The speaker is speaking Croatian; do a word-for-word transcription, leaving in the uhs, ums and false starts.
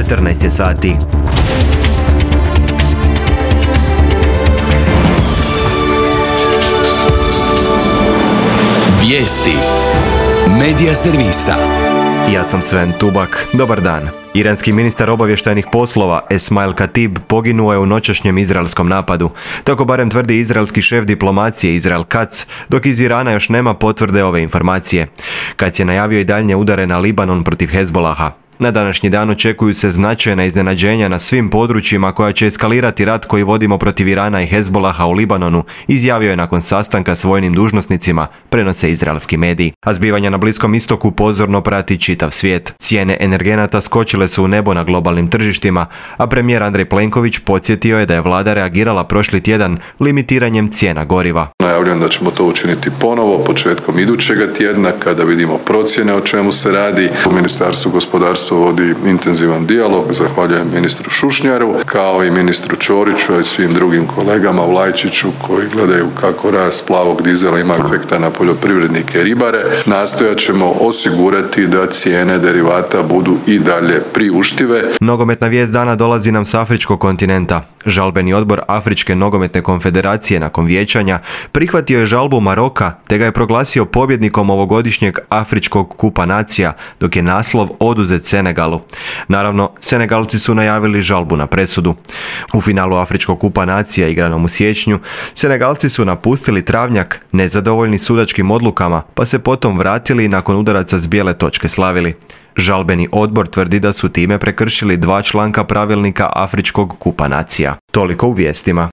četrnaest je sati. Vijesti Medija servisa. Ja sam Sven Tubak. Dobar dan. Iranski ministar obavještajnih poslova Esmail Katib poginuo je u noćašnjem izraelskom napadu. Tako barem tvrdi izraelski šef diplomacije Israel Katz, dok iz Irana još nema potvrde ove informacije. Katz je najavio i daljnje udare na Libanon protiv Hezbolaha. Na današnji dan očekuju se značajna iznenađenja na svim područjima koja će eskalirati rat koji vodimo protiv Irana i Hezbolaha u Libanonu, izjavio je nakon sastanka s vojnim dužnosnicima, prenose izraelski mediji. A zbivanja na Bliskom istoku pozorno prati čitav svijet. Cijene energenata skočile su u nebo na globalnim tržištima, a premijer Andrej Plenković podsjetio je da je vlada reagirala prošli tjedan limitiranjem cijena goriva. Najavljujem da ćemo to učiniti ponovo početkom idućega tjedna kada vidimo procjene o čemu se radi. U Ministarstvu gospodarstva vodi intenzivan dijalog. Zahvaljujem ministru Šušnjaru, kao i ministru Ćoriću i svim drugim kolegama u Lajčiću koji gledaju kako rast plavog dizela ima efekta na poljoprivrednike i ribare. Nastojat ćemo osigurati da cijene derivata budu i dalje priuštive. Nogometna vijest dana dolazi nam s afričkog kontinenta. Žalbeni odbor Afričke nogometne konfederacije nakon vijećanja prihvatio je žalbu Maroka te ga je proglasio pobjednikom ovogodišnjeg Afričkog kupa nacija, dok je naslov oduzet Senegalu. Naravno, Senegalci su najavili žalbu na presudu. U finalu Afričkog kupa nacija igranom u siječnju, Senegalci su napustili travnjak nezadovoljni sudačkim odlukama, pa se potom vratili i nakon udaraca s bijele točke slavili. Žalbeni odbor tvrdi da su time prekršili dva članka pravilnika Afričkog kupa nacija. Toliko u vijestima.